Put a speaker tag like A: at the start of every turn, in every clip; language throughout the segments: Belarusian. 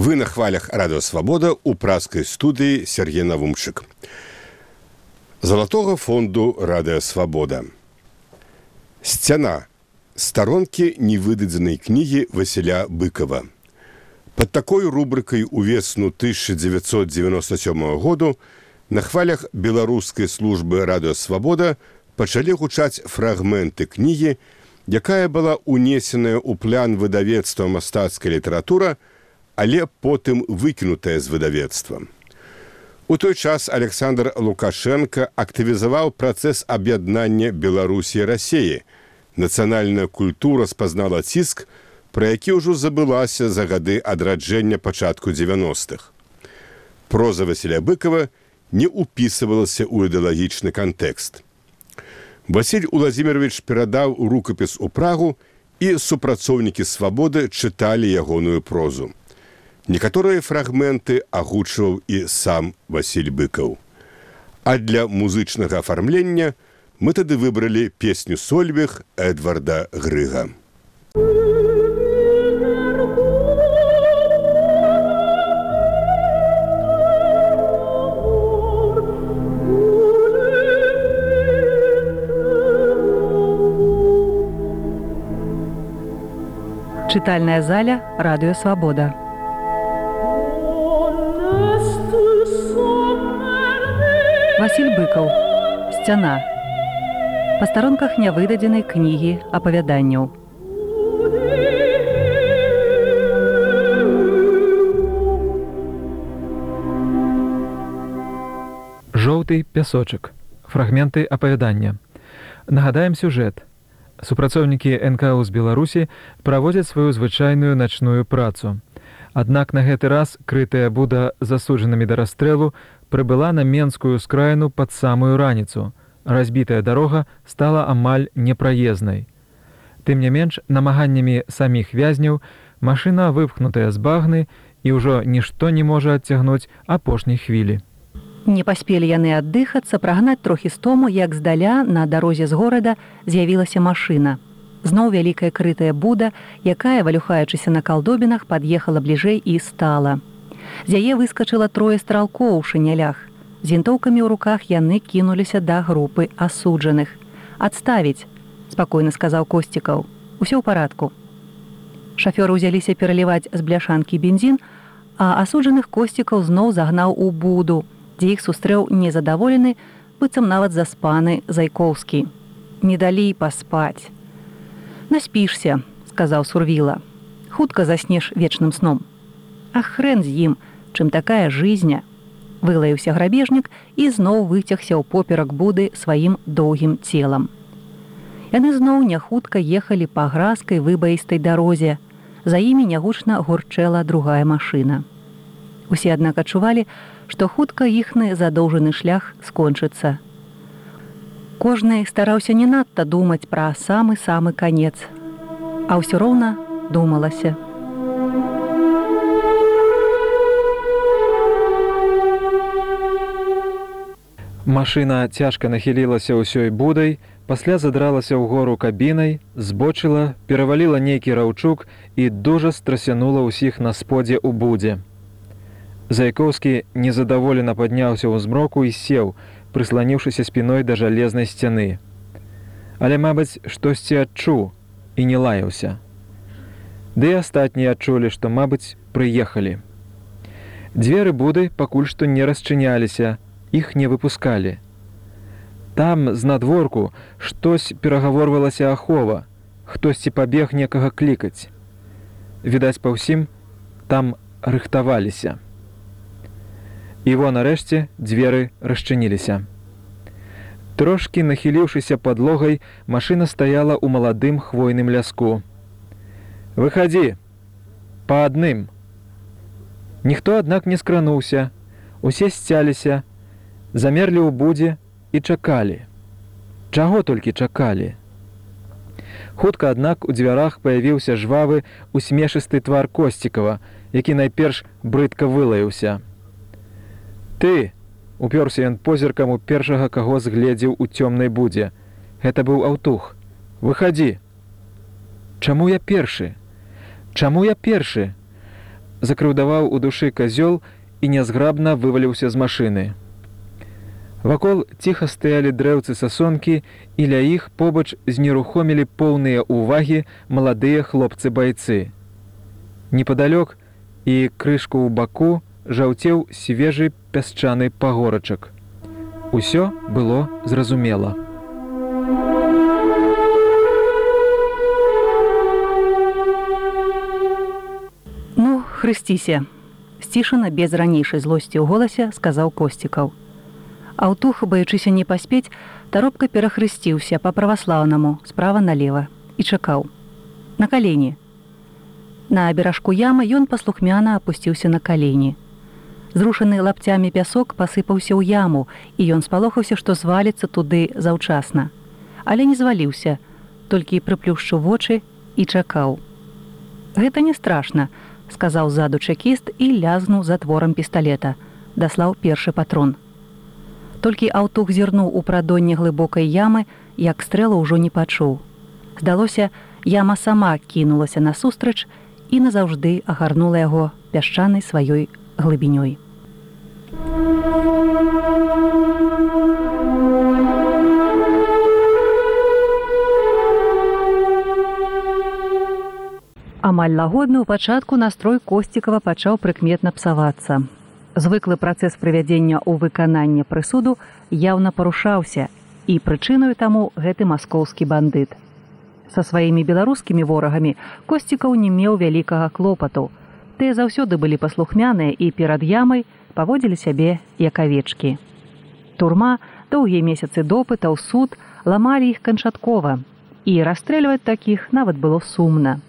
A: Вы на хвалях «Радио Свобода» у пражской студии Сергей Навумчик. Золотого фонду «Радио Свобода». «Стяна». Сторонки невыдадзенной книги Василя Быкова. Под такой рубрикой у весну 1997 году на хвалях беларускай службы «Радио Свобода» пачалі гучаць фрагменты кнігі, якая была унесеная ў план выдавецтва «Мастацкая літаратура», але потым выкінутая з выдавецтва. У той час Александр Лукашенко актывізаваў працэс аб'яднання Беларусі і Расіі. Нацыянальная культура спазнала ціск, пра які ўжо забылася за гады адраджэння пачатку 90-х. Проза Васіля Быкова не ўпісывалася ў ідэалагічны кантэкст. Васіль Уладзімірович перадаў рукапіс у Прагу, і супрацоўнікі «Свабоды» чыталі ягоную прозу. Некаторыя фрагменты агучваў і сам Васіль Быкаў. А для музычнага афармлення мы тады выбралі песню «Сольвег» Эдварда Грыга.
B: Читальная заля «Радио Свобода». Васіль Быкаў. «Сцяна». Па старонках нявыдадзенай кнігі апавяданняў.
C: Жоўты пясочак. Фрагменты апавядання. Нагадаем сюжэт. Супрацоўнікі НКУ з Беларусі праводзяць сваю звычайную начную працу. Аднак на гэты раз крытая буда з засуджанымі да расстрэлу прыбыла на Менскую скраіну пад самую раніцу. Разбітая дарога стала амаль непраезнай. Тым не менш, намаганнямі саміх вязняў машына выпхнутая з багны і ўжо нішто не можа адцягнуць апошняй хвілі.
B: Не паспелі яны аддыхацца, прагнаць трохі стому, як здаля на дарозе з горада з'явілася машына. Зноў вялікая крытая буда, якая, валюхаючыся на калдобінах, пад'ехала бліжэй і стала. З яе выскачыла трое стралкоў у шынялях. З вінтоўкамі ў руках яны кінуліся да групы асуджаных. «Адставіць», – спакойна сказаў Косцікаў. «Усё ў парадку». Шафёры ўзяліся пераліваць з бляшанкі бензін, а асуджаных Косцікаў зноў загнаў у буду, дзе іх сустрэў незадаволены, быццам нават заспаны Зайкоўскі. «Не далі паспаць». «Наспішся», – сказаў Сурвіла. «Хутка заснеш вечным сном». «А хрен з ім, чым такая жизня», – вылаяўся грабежнік і зноў выцягся ў поперак буды сваім доўгім целам. Яны зноў няхутка ехалі па гразкай выбаістай дарозе. За імі нягучна гурчэла другая машына. Усе, аднак, адчувалі, што хутка іхны задоўжаны шлях скончыцца. Кожны стараўся не надта думаць пра самы-самы канец, а ўсё роўна думалася.
C: Машына цяжка нахілілася ўсёй будай, пасля задралася ўгору кабінай, збочыла, пераваліла нейкі раўчук і дужа страсянула ўсіх на сподзе ў будзе. Зайкоўскі незадаволена падняўся ў змроку і сеў, прысланіўшыся спіной да жалезнай сцяны. Але, мабыць, штосьці адчуў і не лаяўся. Ды і астатнія адчулі, што, мабыць, прыехалі. Дзверы буды пакуль што не расчыняліся, іх не выпускалі. Там, з надворку, штось перагаворвалася ахова, хтосьці пабег некага клікаць. Відаць, па ўсім, там рыхтаваліся. І во, нарэшце, дзверы расчыніліся. Трошкі нахіліўшыся падлогай, машына стаяла ў маладым хвойным ляску. «Выхадзі! Па адным!» Ніхто, аднак, не скрануўся. Усе сцяліся, замерлі ў будзе і чакалі. Чаго толькі чакалі? Хутка, аднак, у дзвярах паявіўся жвавы, усмешысты твар Косцікава, які найперш брыдка вылаяўся. «Ты!» – упёрся ён позіркам у першага, каго згледзеў у цёмнай будзе. Гэта быў Аўтух. «Выхадзі!» «Чаму я першы? Чаму я першы? закрыўдаваў у душы казёл і нязграбна вываліўся з машыны. Вакол ціха стаялі дрэўцы сасонкі, і ля іх побач знерухомілі поўныя ўвагі маладыя хлопцы-байцы. Непадалёк і крышку ў баку жаўцеў свежы пясчаны пагорачак. Усё было зразумела.
B: «Ну, хрысціся», – сцішана без ранейшай злосці ў голасе сказаў Косцікаў. Аўтух, баючыся не паспець, таропка перахрысціўся па-праваслаўнаму справа налева і чакаў. На калені. На беражку ямы ён паслухмяна апусціўся на калені. Зрушаны лапцямі пясок пасыпаўся ў яму, і ён спалохаўся, што зваліцца туды заўчасна. Але не зваліўся, толькі прыплюшчыў вочы і чакаў. «Гэта не страшна», – сказаў ззаду чэкіст і лязнуў затворам пісталета. Даслаў першы патрон. Толькі аўтух зірнуў у прадонне глыбокай ямы, як стрэла ўжо не пачуў. Здалося, яма сама кінулася насустрач і назаўжды агарнула яго пясчанай сваёй глыбінёй. Амаль лагодны ў пачатку настрой Косцікава пачаў прыкметна псавацца. Звыклы працэс прывядзення ў выкананне прысуду яўна парушаўся, і прычынаю таму гэты маскоўскі бандыт. Са сваімі беларускімі ворагамі Косцікаў не меў вялікага клопату. Тыя заўсёды былі паслухмяныя і перад ямай паводзілі сябе як авечкі. Турма, доўгія месяцы допытаў, суд ламалі іх канчаткова, і расстрэльваць такіх нават было сумна.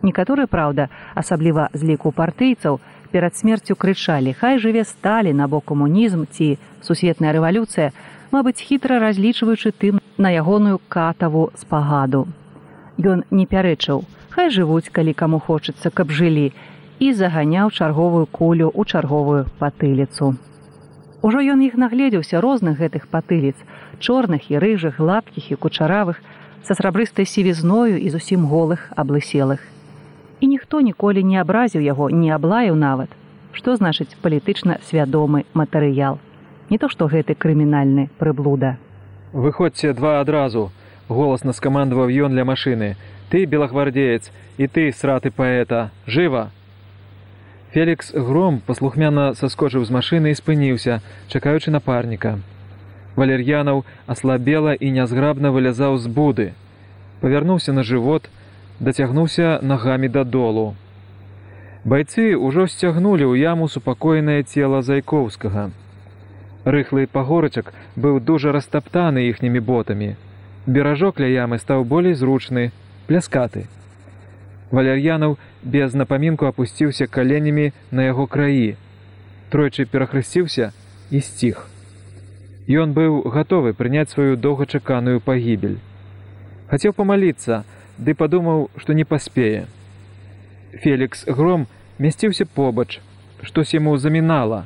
B: Некаторыя, праўда, асабліва з ліку партыйцаў, перад смерцю крычалі: «Хай жыве Сталін або камунізм ці сусветная рэвалюцыя», мабыць, хітра разлічваючы тым на ягоную катаву спагаду. Ён не пярэчыў: «Хай жывуць, калі каму хочацца, каб жылі», і заганяў чарговую кулю ў чарговую патыліцу. Ужо ён іх нагледзеўся, розных гэтых патыліц, чорных і рыжых, гладкіх і кучаравых, са срабрыстай сівізною і зусім голых, аблыселых. І ніхто ніколі не абразіў яго, не аблаяў нават. Што значыць палітычна свядомы матэрыял? Не то што гэты крымінальны прыблуда.
C: «Выходзьце два адразу», – голасна скамандаваў ён ля машыны. «Ты, белагвардзеец, і ты, сраты паэта, жыва!» Фелікс Гром паслухмяна саскочыў з машыны і спыніўся, чакаючы напарніка. Валер'янаў аслабела і нязграбна вылязаў з буды. Павярнуўся на жывот, дацягнуўся нагамі дадолу. Байцы ўжо сцягнулі ў яму супакоенае цела Зайкоўскага. Рыхлы пагорачак быў дужа растаптаны іхнімі ботамі. Беражок ля ямы стаў болей зручны, пляскаты. Валер'янаў без напамінку апусціўся каленямі на яго краі. Тройчы перахрысціўся і сціх. Ён быў гатовы прыняць сваю доўгачаканую пагібель. Хацеў памаліцца, ды падумаў, што не паспее. Фелікс Гром мясціўся побач, штось яму замінала.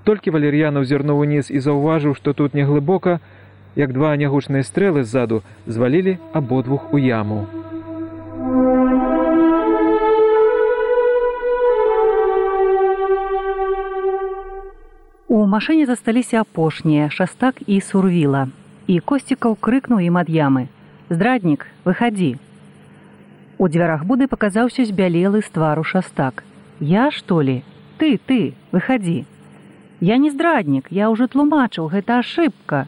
C: Толькі Валер'янаў зірнуў уніз і заўважыў, што тут неглыбока, як два нягучныя стрэлы ззаду звалілі абодвух у яму.
B: У машыне засталіся апошнія Шастак і Сурвіла, і Косцікаў крыкнуў ім ад ямы: «Здраднік, выхадзі!» У дзвярах буды паказаўся збялелы з твару Шастак. «Я, што ли? Ты, выхадзі!» «Я не здраднік, я ўжо тлумачыў, гэта ашыбка!»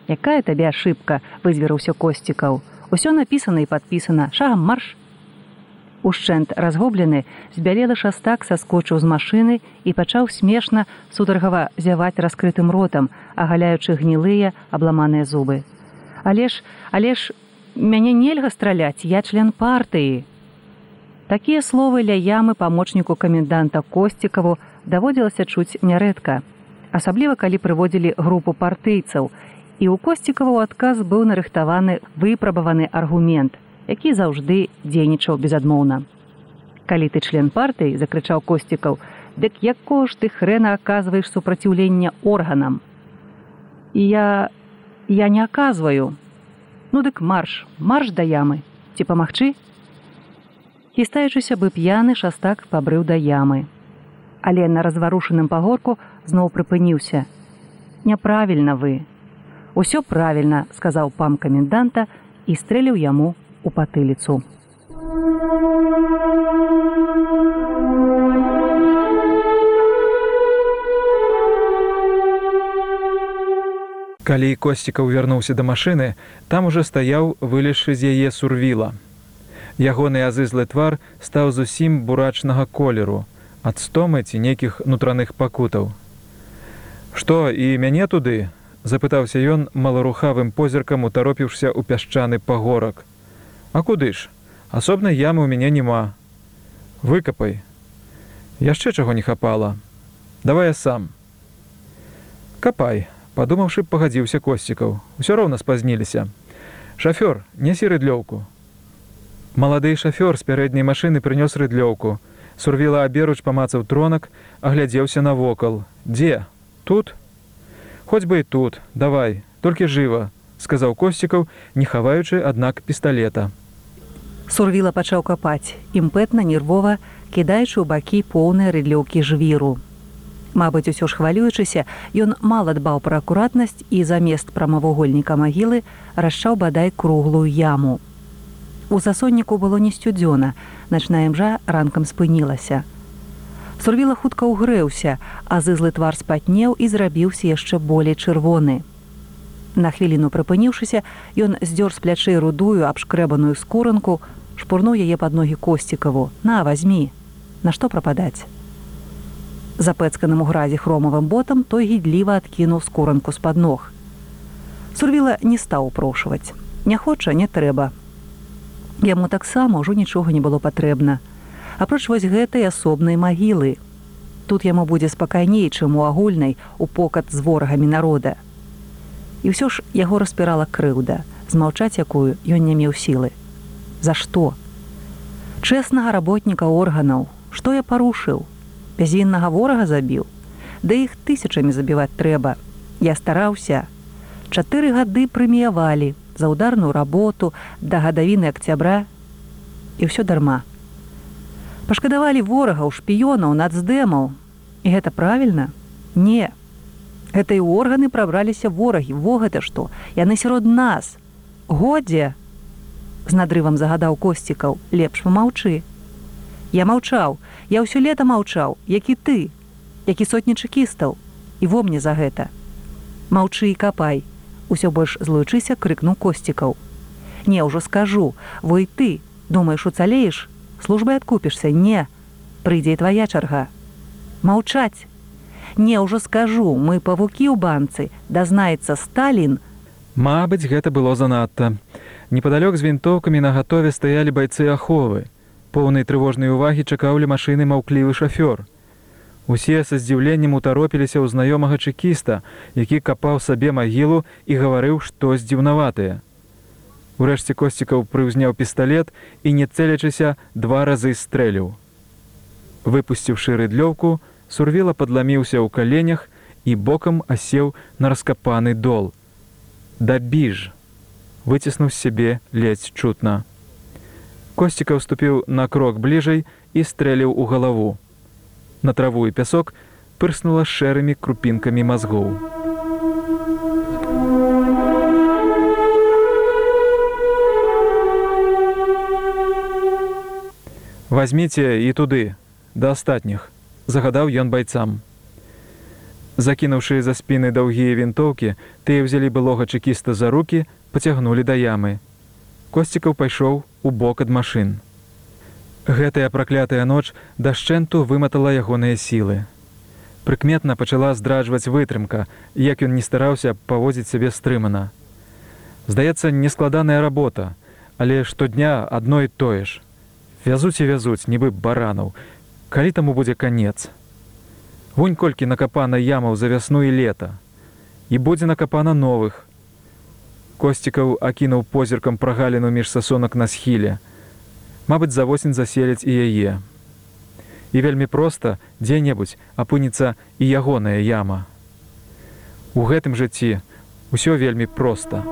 B: «Якая табе ашыбка?» – вызверыўся Косцікаў. «Усё напісана і падпісана. Шагам марш!» Ушчэнт разгублены, збялелы Шастак саскочыў з машыны і пачаў смешна, сутаргава зяваць раскрытым ротам, агаляючы гнілыя, абламаныя зубы. Але ж, мяне нельга страляць, я член партыі!» Такія словы ля ямы памочніку каменданта Косцікаву даводзілася чуць нярэдка, асабліва калі прыводзілі групу партыйцаў, і ў Косцікава ў адказ быў нарыхтаваны выпрабаваны аргумент, які заўжды дзейнічаў безадмоўна. «Калі ты член партыі, – закрычаў Косцікаў, – дык якого ж ты хрэна аказваеш супраціўленне органам?» Я не аказваю. Ну дык марш да ямы. Ці памагчы?» Хістаючыся бы п'яны, шастак пабрыў да ямы. Але на разварушаным пагорку зноў прыпыніўся. «Няправільна вы». «Усё правільна», – сказаў пам каменданта і стрэліў яму у патыліцу.
C: Калі Косцікаў вярнуўся да машыны, там ужо стаяў, вылезшы з яе Сурвіла. Ягоны азызлы твар стаў зусім бурачнага колеру, ад стомы ці нейкіх нутраных пакутаў. «Што, і мяне туды?» – запытаўся ён маларухавым позіркам, утаропіўшся ў пясчаны пагорак. «А куды ж? Асобнай ямы ў мяне няма. Выкапай. Яшчэ чаго не хапала. Давай я сам». «Капай», – падумаўшы, пагадзіўся Косцікаў. «Усё роўна спазніліся. Шафёр, нясі рыдлёўку». Малады шафёр з пярэдняй машыны прынёс рыдлёўку. Сурвіла аберуч памацаў тронак, аглядзеўся навокал. «Дзе? Тут?» «Хоць бы і тут. Давай, толькі жыва», – сказаў Косцікаў, не хаваючы, аднак, пісталета.
B: Сурвіла пачаў капаць, імпэтна, нервова, кідаючы ў бакі поўныя рыдлёўкі жвіру. Мабыць, усё ж хвалюючыся, ён мала дбаў пра акуратнасць і замест прамавугольніка магілы расчаў бадай круглую яму. У засонніку было не сцюдзёна, начная імжа ранкам спынілася. Сурвіла хутка ўгрэўся, а зызлы твар спатнеў і зрабіўся яшчэ болей чырвоны. На хвіліну прыпыніўшыся, ён здзёр з плячэй рудую, абшкрэбаную скуранку, шпурнуў яе пад ногі Косцікаву. «На, вазьмі! Нашто прападаць?» Запэцканым у гразі хромавым ботам той гідліва адкінуў скуранку з-пад ног. Сурвіла не стаў упрошваць. Не хоча, не трэба. Яму таксама ўжо нічога не было патрэбна. Апроч вось гэтай асобнай магілы. Тут яму будзе спакайней, чым у агульнай, у покат з ворагамі народа. І ўсё ж яго распірала крыўда, змаўчаць якую ён не меў сілы. За што? Чэснага работніка органаў. Што я парушыў? Бязвіннага ворага забіў? Да іх тысячамі забіваць трэба. Я стараўся. 4 гады прэміявалі за ударную работу да гадавіны акцябра. І ўсё дарма. Пашкадавалі ворагаў, шпіёнаў, нацдэмаў. І гэта правільна? Не. Гэта і ў органы прабраліся ворагі. Во гэта што? Яны сярод нас. Годзе! З надрывам загадаў Косцікаў. Лепш памаўчы. Я маўчаў. Я ўсё лета маўчаў. Як і ты. Як і сотні чэкістаў. І во мне за гэта. Маўчы і капай. Усё больш злуючыся, крыкнуў Косцікаў. Не, ўжо скажу. Во і ты. Думаеш, уцалееш? Службай адкупішся? Не. Прыйдзе і твая чарга. Маўчаць. Не, ўжо скажу. Мы павукі ў банцы. Дазнаецца Сталін.
C: Мабыць, гэта было занадта. Непадалёк з вінтоўкамі нагатове стаялі байцы аховы. Поўнай трывожнай увагі чакаўлі машыны маўклівы шафёр. Усе са здзіўленнем утаропіліся ў знаёмага чэкіста, які капаў сабе магілу і гаварыў штось дзіўнаватае. Урэшце Косцікаў прыўзняў пісталет і, не цэлячыся, 2 разы стрэліў. Выпусціўшы рыдлёўку, Сурвіла падламіўся ў каленях і бокам асеў на раскапаны дол. «Дабіж!» – выціснуў з сябе ледзь чутна. Косцікаў ступіў на крок бліжэй і стрэліў у галаву. На траву і пясок пырснула шэрымі крупінкамі мазгоў. «Вазьміце і туды, да астатніх», – загадаў ён байцам. Закінуўшы за спіны даўгія вінтоўкі, тыя ўзялі былога чэкіста за рукі, пацягнулі да ямы. Косцікаў пайшоў у бок ад машын. Гэтая праклятая ноч дашчэнту выматала ягоныя сілы. Прыкметна пачала здраджваць вытрымка, як ён не стараўся паводзіць сябе стрымана. Здаецца, нескладаная работа, але штодня адно і тое ж. Вязуць і вязуць, нібы баранаў. Калі таму будзе канец? Вунь колькі накапана ямаў за вясну і лета. І будзе накапана новых. Косцікаў акінуў позіркам прагаліну між сасонак на схіле. Мабыць, за восень заселяць і яе. І вельмі проста дзе-небудзь апынецца і ягоная яма. У гэтым жыцці ўсё вельмі проста.